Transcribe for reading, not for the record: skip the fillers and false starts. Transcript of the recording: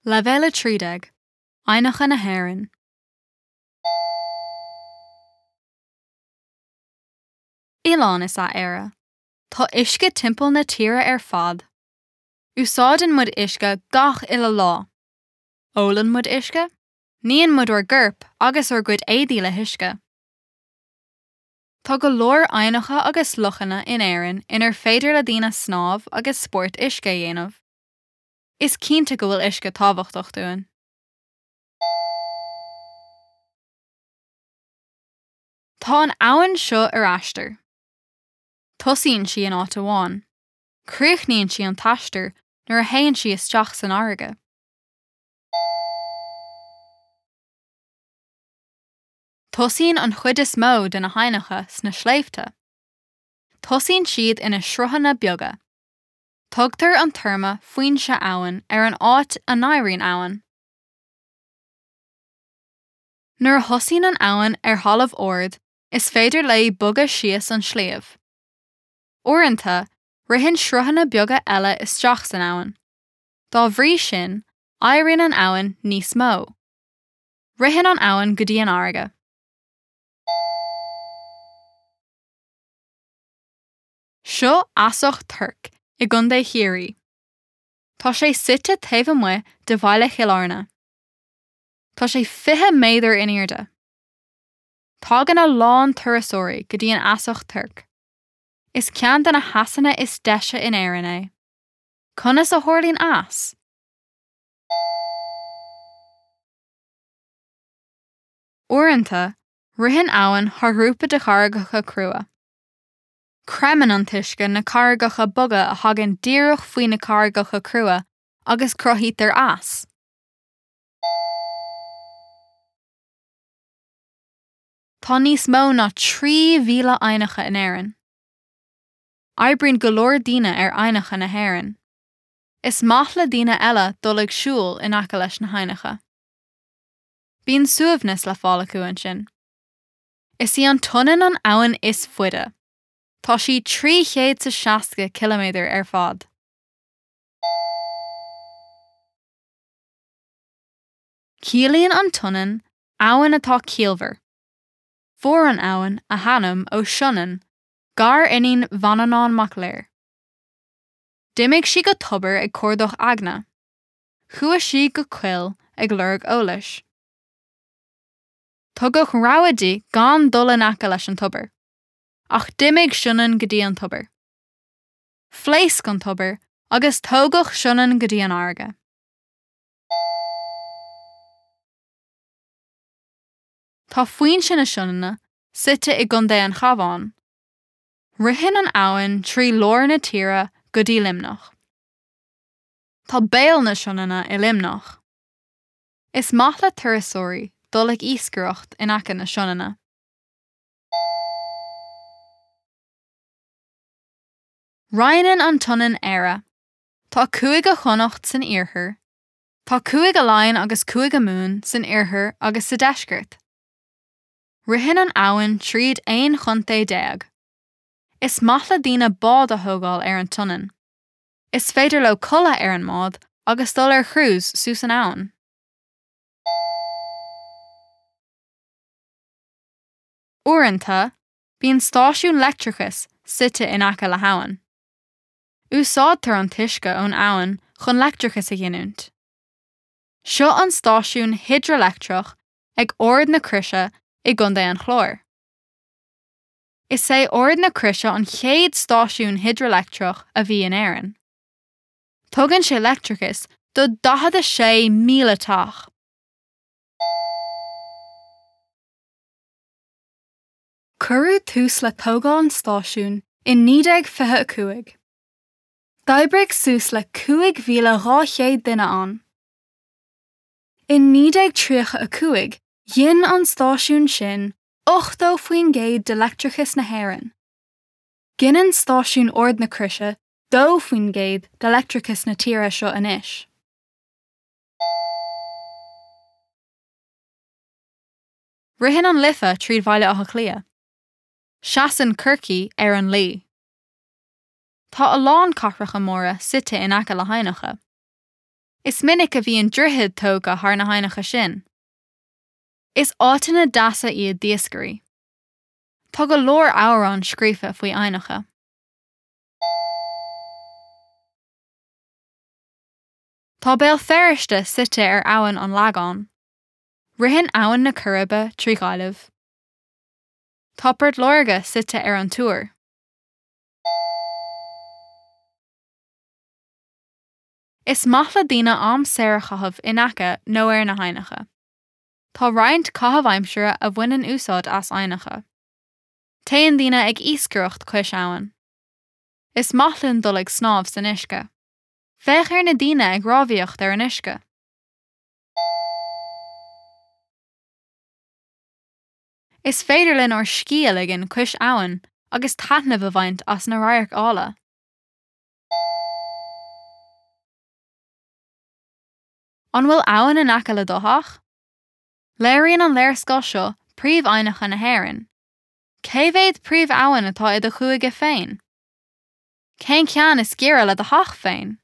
Leibhéal 13, Aibhneacha na hÉireann. Oileán is ea Éire. Tá uisce timpeall na tíre ar fad. Úsáideann muid uisce gach uile lá. Ólann muid uisce, níonn muid ár gcorp agus ár gcuid éadaí le huisce. Tá go leor aibhneacha agus lochanna in Éirinn inar féidir le daoine snámh agus spórt uisce a dhéanamh. Is cinnte go bhfuil uisce tábhachtach dúinn. Tá an abhainn seo ar aistear. Tosaíonn sí in áit amháin. Críochnaíonn sí an t-aistear nuair a théann sí isteach san fharraige. Tosaíonn an chuid is mó de na haibhneacha sna sléibhte. Tosaíonn siad ina sruthanna beaga. Tugtar an téarma foinse abhann ar an áit a n-éiríonn abhainn. Nuair a thosaíonn an abhainn ar thalamh ard, is féidir léi bogadh síos an sliabh. Uaireanta, ritheann sruthanna beaga eile isteach san abhainn. Dá bhrí sin, éiríonn an abhainn níos mó. Ritheann an abhainn go dtí an fharraige. Seo Easach Toirc i gContae Chiarraí. Tá sé suite taobh amuigh de bhaile Chill Airne. Tá sé 20 méadar in airde. Tagann a lán turasóirí go dtí an Easach Toirc. Is ceann de na heasanna is deise in Éirinn é. Conas a tharlaíonn eas? Uaireanta, ritheann abhainn thar ghrúpa de charraigeacha crua. Creimeann an t-uisce na carraigeacha boga a thagann díreach faoi na carraigeacha crua agus cruthaítear eas. Tá níos mó ná 3,000 aibhneacha in Éirinn. Oibríonn go leor daoine ar aibhneacha na hÉireann. Is maith le daoine eile dul ag siúl in aice leis na haibhneacha. Bíonn suaimhneas le fáil acu ansin. Is í an tSionainn an abhainn is faide. Tá sí 360 ciliméadar ar fad. Ciallaíonn an tSionainn abhainn atá ciallmhar. Fuair an abhainn a hainm ó Sionainn, gar-iníon Mhanannán Mac Lir. D'imigh sí go tobar ag cuardach eagna. Chuaigh sí go coill ag lorg eolais. Tugadh rabhadh di gan dul in aice leis an tobar. Ach d'imigh Sionainn go dtí an tobar. Phléasc an tobar agus tógadh Sionainn go dtí an fharraige. Tá foinse na Sionainne suite i gContae an Chabháin. Ritheann an abhainn trí lár na tíre go dtí Luimneach. Tá béal na Sionainne i Luimneach. Is maith le turasóirí dul ag iascaireacht in aice na Sionainne. Roinneann an tSionainn Éire. Tá Cúige Chonnacht san iarthar. Tá Cúige Laighean agus Cúige Mumhan san oirthear agus sa deisceart. Ritheann an abhainn tríd 11 chontae. Is maith le daoine bád a thógáil ar an tSionainn. Is féidir leo codladh ar an mbád agus dul ar cruise suas an abhainn. Uaireanta, bíonn stáisiún leictreachais suite in aice le habhainn. Úsáidtear an t-uisce ón abhainn chun leictreachas a ghiniúint. Seo an stáisiún hidrileictreach ag Ard na Croise i gContae an Chláir. Is é Ard na Croise an chéad stáisiún hidrileictreach a bhí in Éirinn. Tugann sé leictreachas do 46,000 teach. Cuireadh tús le tógáil an stáisiúin in 1925. D'oibrigh suas le 5,200 duine ann. In 1935 ghin an stáisiún sin 80% de leictreachas na hÉireann. Gineann stáisiún Ard na Croise 2% de leictreachas na tíre seo anois. Ritheann an Life tríd Bhaile Átha Cliath. Seasann Corcaigh ar an Laoi. Tá a lán cathracha móra suite in aice le haibhneacha. Is minic a bhíonn droichid tógtha thar na haibhneacha sin. Is áiteanna deasa iad d'iascairí. Tá go leor amhrán scríofa faoi aibhneacha. Tá Béal Feirste suite ar Abhainn an Lagáin. Ritheann Abhainn na Coiribe trí Ghaillimh. Tá Port Láirge suite ar an Tuar. Is maith le daoine am saor a chaitheamh in aice nó ar na haibhneacha. Tá roinnt caitheamh aimsire a bhaineann úsáid as aibhneacha. Téann daoine ag iascaireacht cois abhann. Is maith linn dul ag snámh san uisce. Féach ar na daoine ag rámhaíocht ar an uisce. Is féidir linn ár scíth a ligean cois abhann agus taitneamh a bhaint as na radhairc áille. An bhfuil abhainn in aice le do theach? Léiríonn an léarscáil seo príomh-aibhneacha na hÉireann. Cé mhéad príomh-abhainn atá i do chúige féin? Cén ceann is giorra le do theach féin?